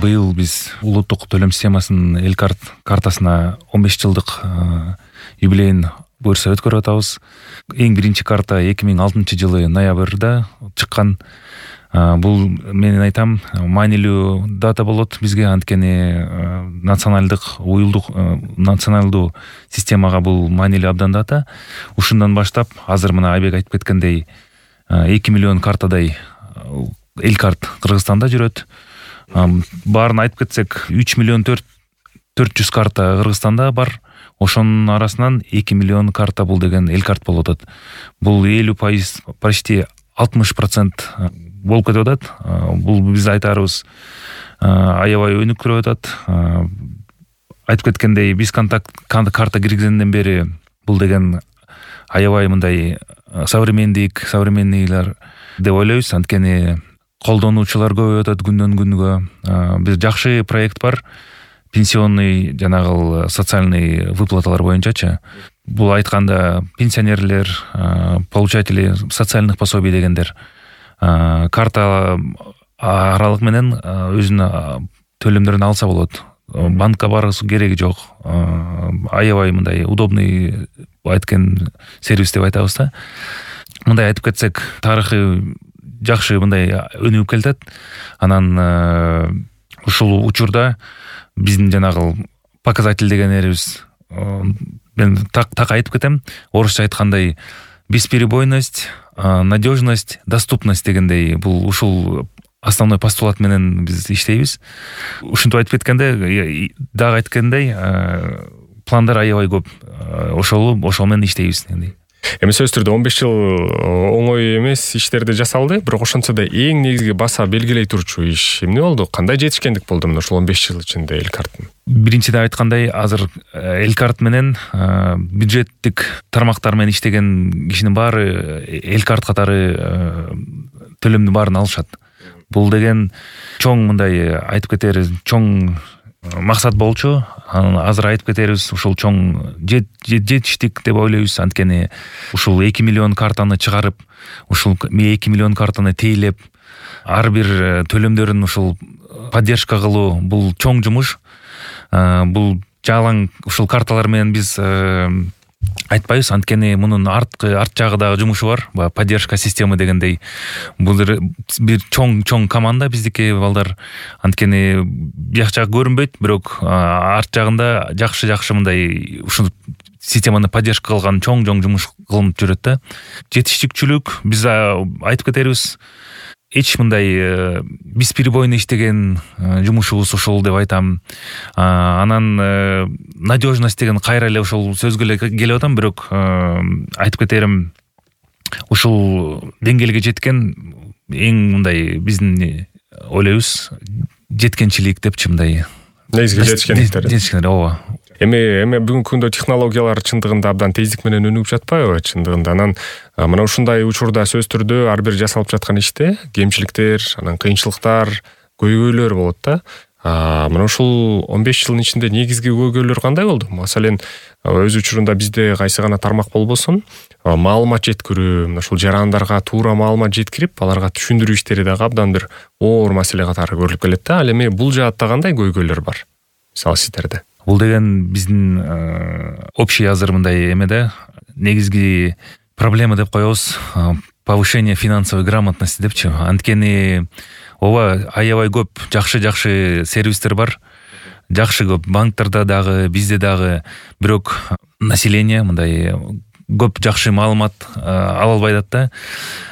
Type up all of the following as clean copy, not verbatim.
Быйыл биз улуттук төлөм системасынын эл картасына 15 жылдык юбилейин буюрса өткөрүп атабыз. Эң биринчи карта 2006 жылы ноябрда чыккан. Бул мен айтам маанилүү дата болот бизге, анткени националдуу системага бул маанилүү абдан дата. Ушундан баштап азыр мына Айбек айтып кеткендей 2 миллион картадай эл карт Кыргызстанда жүрөт. Баарын айтып кетсек 3 миллион 400 карта Кыргызстанда бар. Ошонун арасынан 2 миллион карта бул деген эл карт болуп атат. Бул 50%, почти 60% болуп кетип атат. Бул биз айтарыбыз аябай өнүктүрүп атат. Айтып кеткендей, биз карта киргизгенден бери бул деген аябай мындай современныйлар деп ойлойбуз. Анткени колдонуучулар көбөйүп атат күндөн күнгө. Биз жакшы проект бар. Пенсионный жанагы социальный выплаталар боюнчачы. Бул айтканда пенсионерлер, получатели социальных пособий дегендер карта аралык менен өзүнүн төлөмдөрүн алса болот. Банкка барысуу кереги жок. Аябай мындай удобный айткен сервис деп айтабыз да. Мындай айтып кетсек, тарыхы жакшы мындай өнүгүп келатат. Анан ушул учурда биздин жанагы показатель дегенерибиз, мен так айтып кетем. Орусча айткандай бесперебойность, надежность, доступность дегендей бул ушул основной постулат менен биз иштейбиз. Ушинтип айтып кеткенде, дагы айткандай, пландар аябай көп. Ошол менен иштейбиз. Эми сөзсүз түрдө 15 жыл оңой эмес иштерди жасалды, бирок ошончо да эң негизги баса белгилей турчу иш эмне болду? Кандай жетишкендик болду мына ушул 15 жыл ичинде эл карттын? Биринчиден айткандай, азыр эл карт менен бюджеттик тармактар менен иштеген кишинин баары эл карт катары төлөмдүн баарын алышат. Бул деген чоң мындай айтып кетери чоң максат болчу. Азыр айтып кетерибиз, ушул чоң жетиштик деп ойлойбуз. Анткени ушул 2 миллион картаны чыгарып, ушул 2 миллион картаны тейлеп, ар бир төлөмдөрүн ушул поддержка кылуу бул чоң жумуш. Бул жалаң ушул карталар менен биз айтпайбыз, анткени мунун арт жагы дагы жумушу бар. Поддержка система дегендей. Бул бир чоң команда биздики балдар. Анткени бияк жагы көрүнбөйт, бирок арт жагында жакшы мындай ушул системаны поддержка кылган чоң жумуш кылынып жүрөт да. Жетиштикчүлүк биз айтып кетерибиз. Эч мындай бесперебойно иштеген жумушубуз ушул деп айтам. Анан надежность деген кайра эле ушул сөзгө эле келип атам, бирок айтып кетерим, ушул деңгээлге жеткен эң мындай биздин ойлойбуз жеткенчилик депчи мындай. Негизги жетишкендиктер. Ооба. Эми бүгүнкү күндө технологиялар чындыгында абдан тездик менен өнүгүп жатпайбы чындыгында? Анан мына ушундай учурда сөз түрдө ар бир жасалып жаткан иште кемчиликтер, анан кыйынчылыктар, көйгөйлөр болот да. Мына ушул 15 жылдын ичинде негизги көйгөйлөр кандай болду? Маселен, өз учурунда бизде кайсы гана тармак болбосун, маалымат жеткирүү, мына ушул жарандарга туура маалымат жеткирип, аларга түшүндүрүү иштери дагы абдан бир оор маселе катары көрүлүп келет да. Ал эми бул жаатта кандай көйгөйлөр бар? Мисалы сиздерде. Бул деген биздин общий азыр мындай эмеде негизги проблема деп коебуз. Повышение финансовой грамотности депчи. Анткени ооба аябай көп жакшы сервистер бар. Жакшы көп банктерде дагы, бизде дагы, бирок население мындай көп жакшы маалымат ала албай атат да.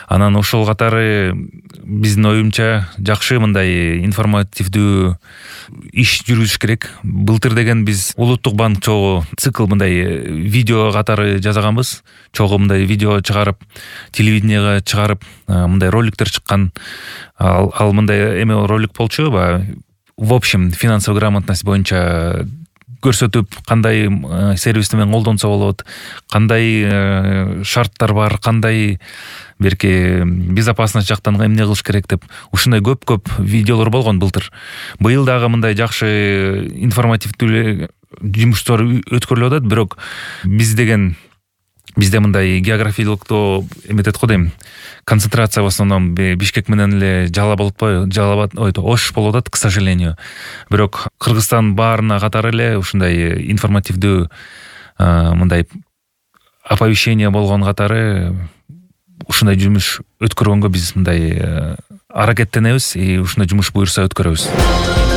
Анан ошол катары биздин оюмча жакшы мындай информативдүү иш жүргүзүш керек. Былтыр деген биз улуттук банк чогуу цикл мындай видео катары жасаганбыз. Чогуу мындай видео чыгарып, телевидениеге чыгарып, мындай роликтер чыккан. Ал мындай эме ролик болчу, в общем, финансовый грамотность боюнча көрсөтүп, кандай сервисти менен колдонсо болот, кандай шарттар бар, кандай берки безопасность жактан эмне кылыш керек деп ушундай көп видеолор болгон былтыр. Быйыл дагы мындай жакшы информативдүү жумуштар өткөрүлүп атат, бирок биз деген бизде мындай географиялыктоо эметет го дейм, концентрация в основном Бишкек менен эле Жалал абад, Ош болуп атат, к сожалению. Бирок Кыргызстан баарына катары эле ушундай информативдүү мындай оповещение болгон катары ушундай жумуш өткөргөнгө биз мындай аракеттенебиз, ушундай жумуш буюрса өткөрөбүз.